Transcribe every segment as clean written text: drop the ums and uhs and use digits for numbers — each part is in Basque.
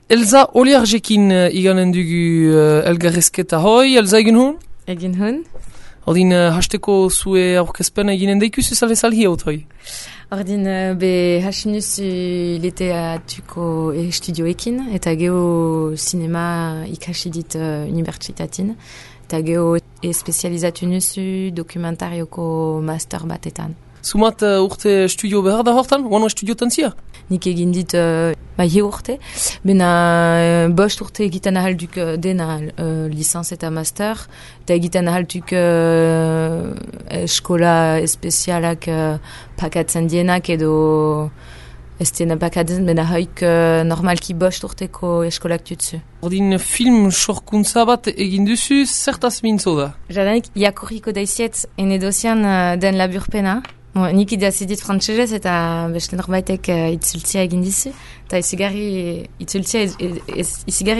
Elsa Oliarjekin iganen dugu elgarrezketa hoi. Elsa egin hon? Egin hon. Ordin hasteko zue aurkezpena eginen deikuzu zalezalhi haut hoi? Ordin be hasinuz leteatuko estudioekin eta geho sinema ikasi dit unibertsitatin eta geho espezializatu nuzu dokumentarioko master batetan. Zumat urte studio behar da hortan? Wano studiotan zia? Nik egin dit he urte, bena bost urte egiten ahalduk dena licenz eta master, eta egiten ahalduk eskola espezialak pakatzen dienak edo ez dena pakatzen, bena haik normalki bost urteko eskolak tutzu. Ordin film sorkuntza bat egin duzu, zertaz mintzo da? Jadanik, jakorriko daiziet enedozian den laburpena. Nik idazidit frantsesez eta beste norbaitek itzultzia egin dizu. Eta izigarri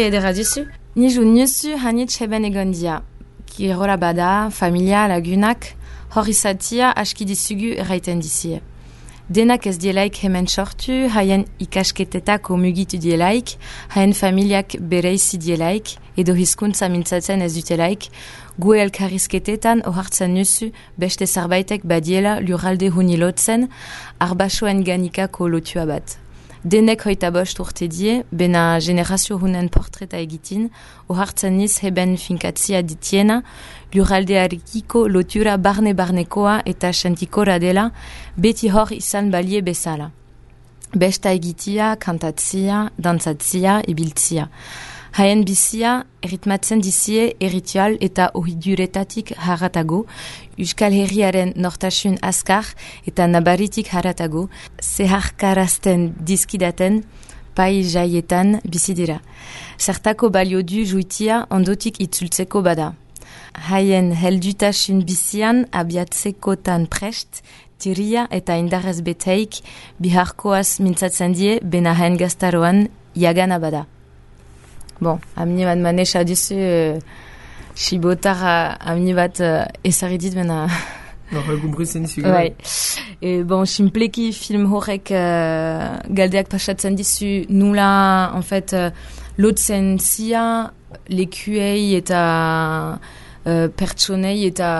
edera dizu. Ni ju nuzu hanit heben egon dia. Kirola bada, familia, lagunak, hor izatia aski dizugu erraiten dizie. Denak ez dielaik hemen sortu, haien ikasketetako mugitu dielaik, haien familiak bereizi dielaik, edo hizkuntza mintzatzen ez dutelaik, gu elkarrizketetan ohartzen nuzu beste zerbaitek badiela lurralde hunilotzen, arbasoen ganikako lotua bat. Denek hoita bost urte die, bena generazio hunen portreta egitin, ohartzen niz heben finkatzia ditiena, lurraldearekiko lotura barne-barnekoa eta sentikora dela, beti hor izan balie bezala. Besta egitia, kantatzia, dantzatzia, ibiltzia. Haien bizia, erritmatzen dizie erritual eta ohiduretatik haratago, Euskal Herriaren nortasun askar eta nabaritik haratago, zeharkarazten dizkidaten, pai jaietan bizidira. Zertako balio du juitia ondotik itzultzeko bada. Haien heldutasun bizian abiatzekotan prest, tiria eta indarrez beteik, biharkoaz mintzatzen die, bena haien gaztaroan jagana bada. Bon, amni bat manesa duzu, Sibotar amni bat ezaridit bena... Gumbritzen dizu. Bai. Bon, simpleki film horrek galdeak pasatzen dizu nula, en fait, lotzen zia, lekuei eta pertsonei eta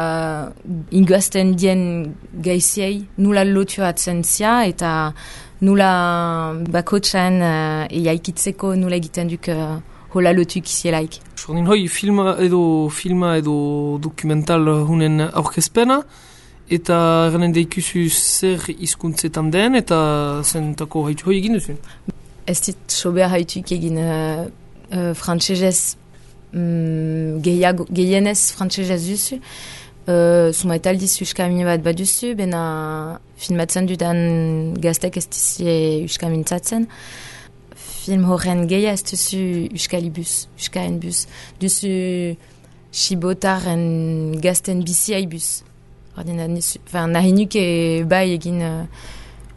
ingazten dien gaiziei, nula lotuatzen zia eta nula bakotxan eiaikitzeko nula egiten duk hola lotuk izielaik. Sordin hoi, filma edo dokumental hunen aurkezpena, eta erranen deikuzu zer hizkuntzetan den, eta zentako haitu hoi egin duzu? Ez dit sober haituk egin frantsesez, gehienez frantsesez duzu, zuma eta aldiz uskamine bat duzu, bena filmatzen dudan gaztek ez dizie uskamintzatzen. Film horren geia ez duzu uskalibus, uskaen bus. Duzu Sibotaren gazten biziai bus. Nahi nuke bai egin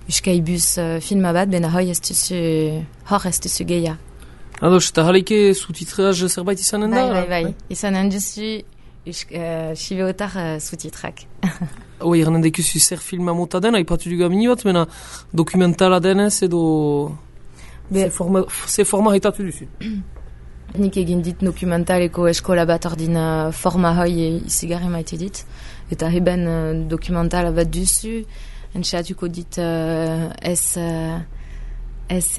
uskaibus filma bat, bena hor ez duzu geia. Ados, eta jaleike sutitreaz zerbait izanen da? Bai. Izanen duzu Sibotar sutitrak. Hoi, erranen dekuzu zer filma mota den, haipatu dugu amini bat, mena dokumentala denez edo... Ze forma haitatu duzu? Nik egin dit dokumentaleko eskola bat ordin forma hoi izigarri maite dit. Eta heben dokumentala bat duzu, entxeatuko dit ez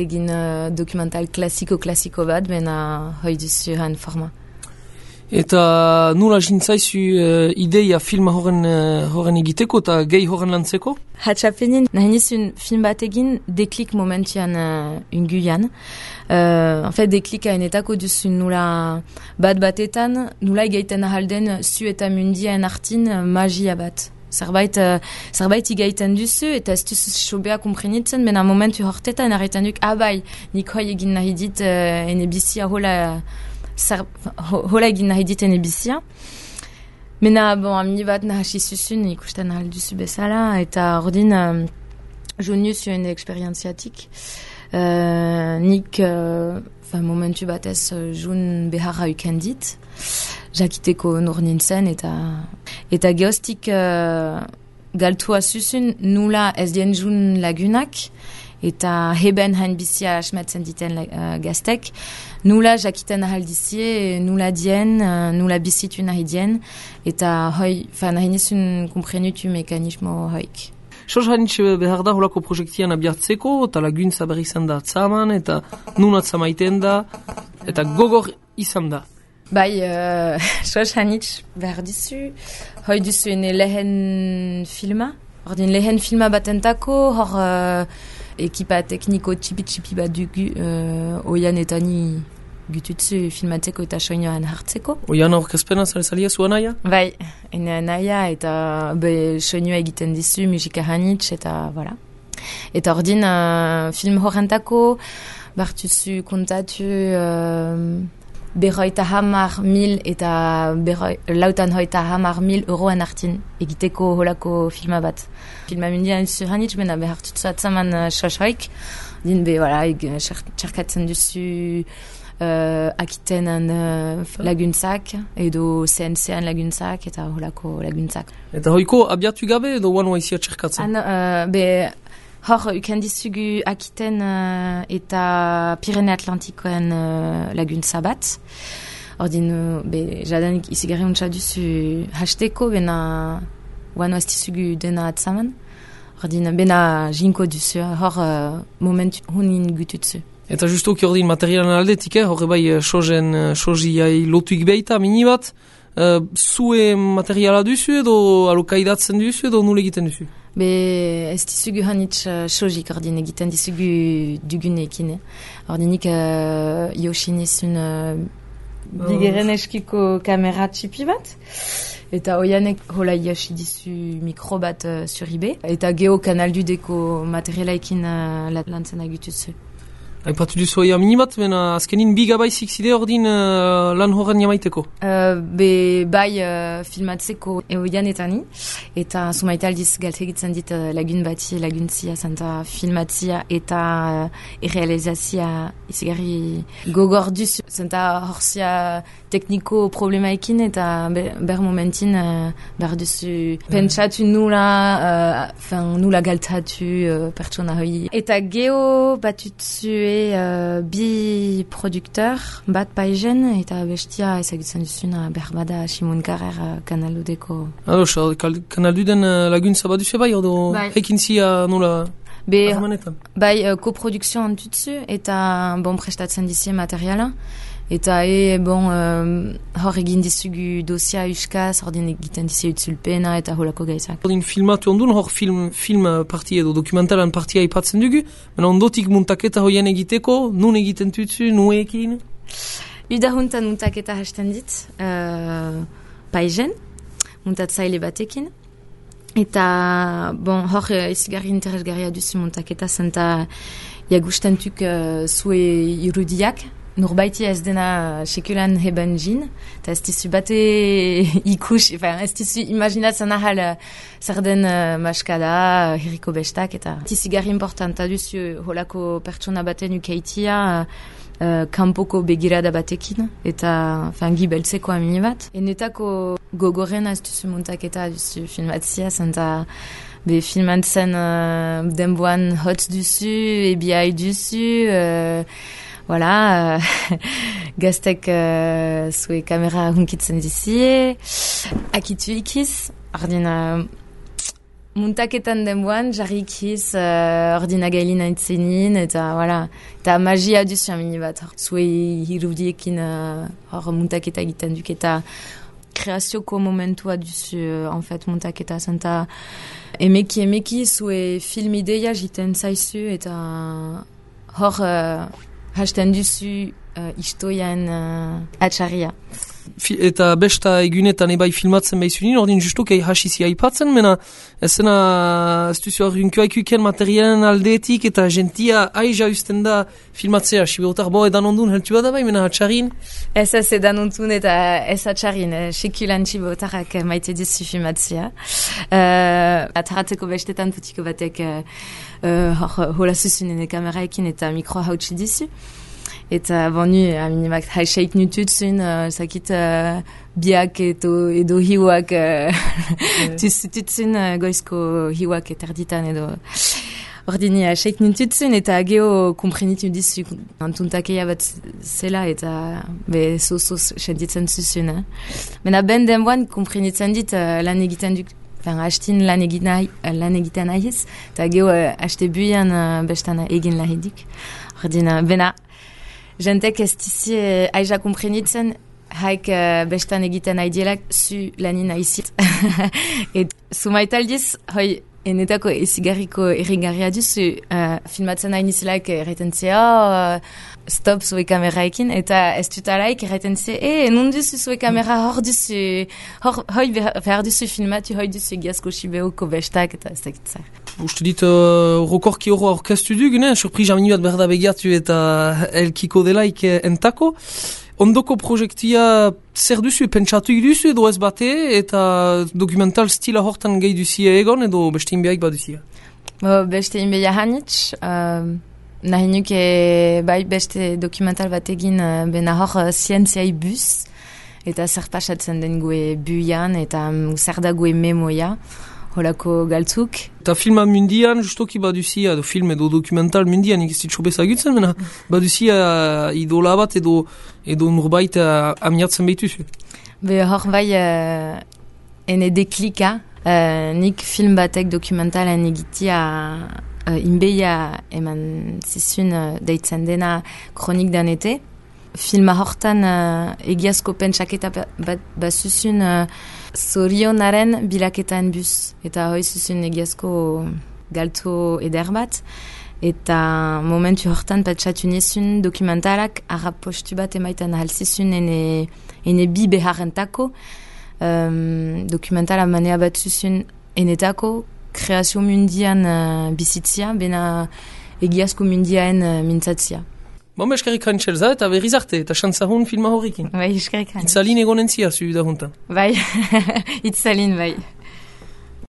egin dokumental klasiko bat, bena hoi duzu han forma. Eta nula jintzaizu ideia filma horren egiteko eta gehi horren lantzeko? Hatxapenin, nahi nizun film bat egin deklik momentuan unguian. En fait, deklik hainetako duzun nula batetan, nula egaiten ahalden zu eta mundiaen artin magia bat. Zerbait igaiten duzu eta ez duzu sobea komprenitzen, bena momentu hortetan arretan duk, bai, nik hoi egin nahi dit ene bizia hola egin nahi diten ebizia. Mena, amni bat nahasi zuzun ikusten ahal duzu bezala, eta ordin joniu zuen eksperientziatik. Nik momentu batez jun beharra ukendit, jakiteko nor nintzen, eta geostik galtua zuzun nula ez dien jun lagunak, eta heben hain bizia asmatzen diten gaztek, nula jakiten ahal dizie, nula dien, nula bizitu nahi dien, eta hoi, nahi nizun komprenutu mekanismo hoik. Sos hanitz behar da holako projektian abiartzeko, eta laguntza berri izan da atzaman, eta nun atzamaiten da, eta gogor izan da. Bai, sos hanitz behar dizu, hoi duzu ene lehen filma, ordin lehen filma batentako, hor ekipa tekniko txipi bat dugu, oian eta ni gututzu filmatzeko eta soinoan hartzeko. Oian aurkezpena zalia zua naia? Bai, ene naia eta soinoa egiten dizu, musika hanitz eta voilà. Eta ordin film horrentako, bartuzu kontatu 50.000 eta 50.000 euroen hartin egiteko holako filma bat. Filma mundian duzu hanitz, bena behartutzu atzaman sosoik, din voilà, txarkatzen duzu akitenan laguntzak, edo CNC-an laguntzak, eta holako laguntzak. Eta hoiko abiatu gabe edo one waizia txarkatzen? Hor, ukendizugu akiten eta Pirene Atlantikoen laguntza bat. Ordin, jadanik izigarri untsa duzu hasteko, bena guano estizugu dena atzaman. Ordin, bena jinko duzu, hor moment hunin gututzu. Eta justuki ordin materialan aldetik, horre bai soziai lotuik behita, mini bat, zue materiala duzu edo alokaidatzen duzu edo nule egiten duzu? Ez dizugu hanitz sojik ordin egiten dizugu dugunekin. Ordinik Yoshinizun bigeren eskiko kamera txipi bat. Eta oianek hola Yoshi dizu mikro bat zuribe. Eta geho kanaldudeko materialaikin lantzen agututzu. Aipatu duzu oia minibat, bena azkenin bigabaizik zide ordin lan horren jamaiteko? Bai filmatzeko oianetani, eta sumaita aldiz galtegitzen dit lagun bati, laguntzia, zanta filmatzia eta errealizazia izigarri gogor duzu, zanta horzia tekniko problemaekin eta ber momentin behar duzu pentsatu nula galtatu pertsona hoi. Eta geho batutzu bi produkteur bat paigen eta bestia ezagutzen duzuna berbada Simon Carrer kanaludeko. Kanalduden laguntza baduzu bai, ordo hekin zia nola harmanetan? Bai, koprodukzio antutzu eta prestatzen dizie materiala. Eta hor egin dizugu dosia euskaz, ordin egiten dizie utzulpena eta holako gaizak. Ordin filmatu ondun, hor film partia edo dokumentalan partia ipatzen dugu, mena ondotik muntaketa hoien egiteko, nun egiten tutzu, nuekin? Udahuntan muntaketa hasten dit, paigen, muntatzaile batekin. Eta, hor izigarri interesgarria duzu muntaketa, zenta jagustentuk zue irudiak, Norbaiti ez dena sekulan heben jin, eta ez dizu bate ikus, ez dizu imaginatzen ahal zer den maskada, herriko bestak, eta tizigarri importanta duzu holako pertsona baten ukeitia kanpoko begirada batekin, eta gibeltzeko amini bat. Enetako gogoren ez duzu muntaketa duzu filmatzia, zenta filmatzen denboan hotz duzu, ebiai duzu, voilà, gaztek zue kamera hunkitzen dizie, akitu ikiz, ordina muntaketan denboan, jarri ikiz, ordina gailin aitzenin, eta voilà, eta magia duzu amini bat, zue hirudiekin hor muntaketa egiten duk, eta kreazioko momentua duzu, en fait, muntaketa, zenta emeki zue film ideia jiten zaizu, eta hor hasten duzu istoian atxarria. Eta besta egunetan ebai filmatzen behizunin, ordin justuk hasizia aipatzen, mena ez duzu argunkioa ikuken materialen aldeetik eta gentia aiza usten da filmatzea, siberotar edan ondun heltu bada bai, mena atxarin? Ez edan ondun eta ez atxarin, sekulan siberotarak maite dizu filmatzea. Ataratzeko bestetan putiko batek hola zuzunen kameraekin eta mikro hautsi dizu. Eta nu, aminimak haixeit nututzun, zakit biak edo hiuak tutzun goizko hiuak eterditan edo. Ordini seik nintutzen eta geho komprenitu dizu antuntakeia bat zela eta be sosos sentitzen zuzun. Mena ben denboan komprenitzen dit lan egiten duk, hastin lan egiten nahiz, eta geho haste buian bestan egin lahidik. Ordina, bena, jentek ez dizi aiza komprenitzen, haik bestan egiten nahidielak zu lanin nahizit. Et sumaitaldiz, hoi, enetako ezigarriko errigarria duzu, filmatzen nahi nizelaik erraiten zea, stop zue kameraekin, eta ez tutalaik erraiten zea, non duzu zue kamera hor duzu, hoi behar duzu filmatu, hoi duzu egiazko sibeoko bestak, eta ez dakitzak. Uste dit, rokorki horro aurkeztu duk, surprise amini bat berda begiatu eta elkiko delaik entako. Ondoko projektia zer duzu, pentsatu duzu edo ez bate, eta dokumental stila hortan gehi duzia egon edo beste inbeaik bat duzia? Beste inbeia hanitz, nahi nuke bai beste dokumental bat egin bena hor zientziai bus, eta zer pasatzen den gue buian, eta zer da gue memoia, holako galtzuk. Eta filma mundian, justoki baduzia, edo film edo dokumental mundian, ikizitxo bezagutzen, mena, baduzia idola bat edo nurbait amiatzen behituzu. Be hor bai ene deklika, nik film batek dokumentalen egitia inbeia eman zizun deitzen dena kronik danete. Filma hortan egiazko pentsaketa bat zuzun zorionaren bilaketan bus. Eta hoi zuzun egiazko galto eder bat. Eta momentu hortan pentsatu nizun dokumentalak arrap postu bat emaitan halzizun ene bi beharrentako. Dokumentala manea bat zuzun enetako kreazio mundian bizitzia, bena egiazko mundiaen mintzatzia. Bomba eskerrik haintxelza eta berriz arte, eta xantzahun filma horrekin. Bai, eskerrik haintz. Itzalin egonentzia zu da juntan. Bai, itzalin bai.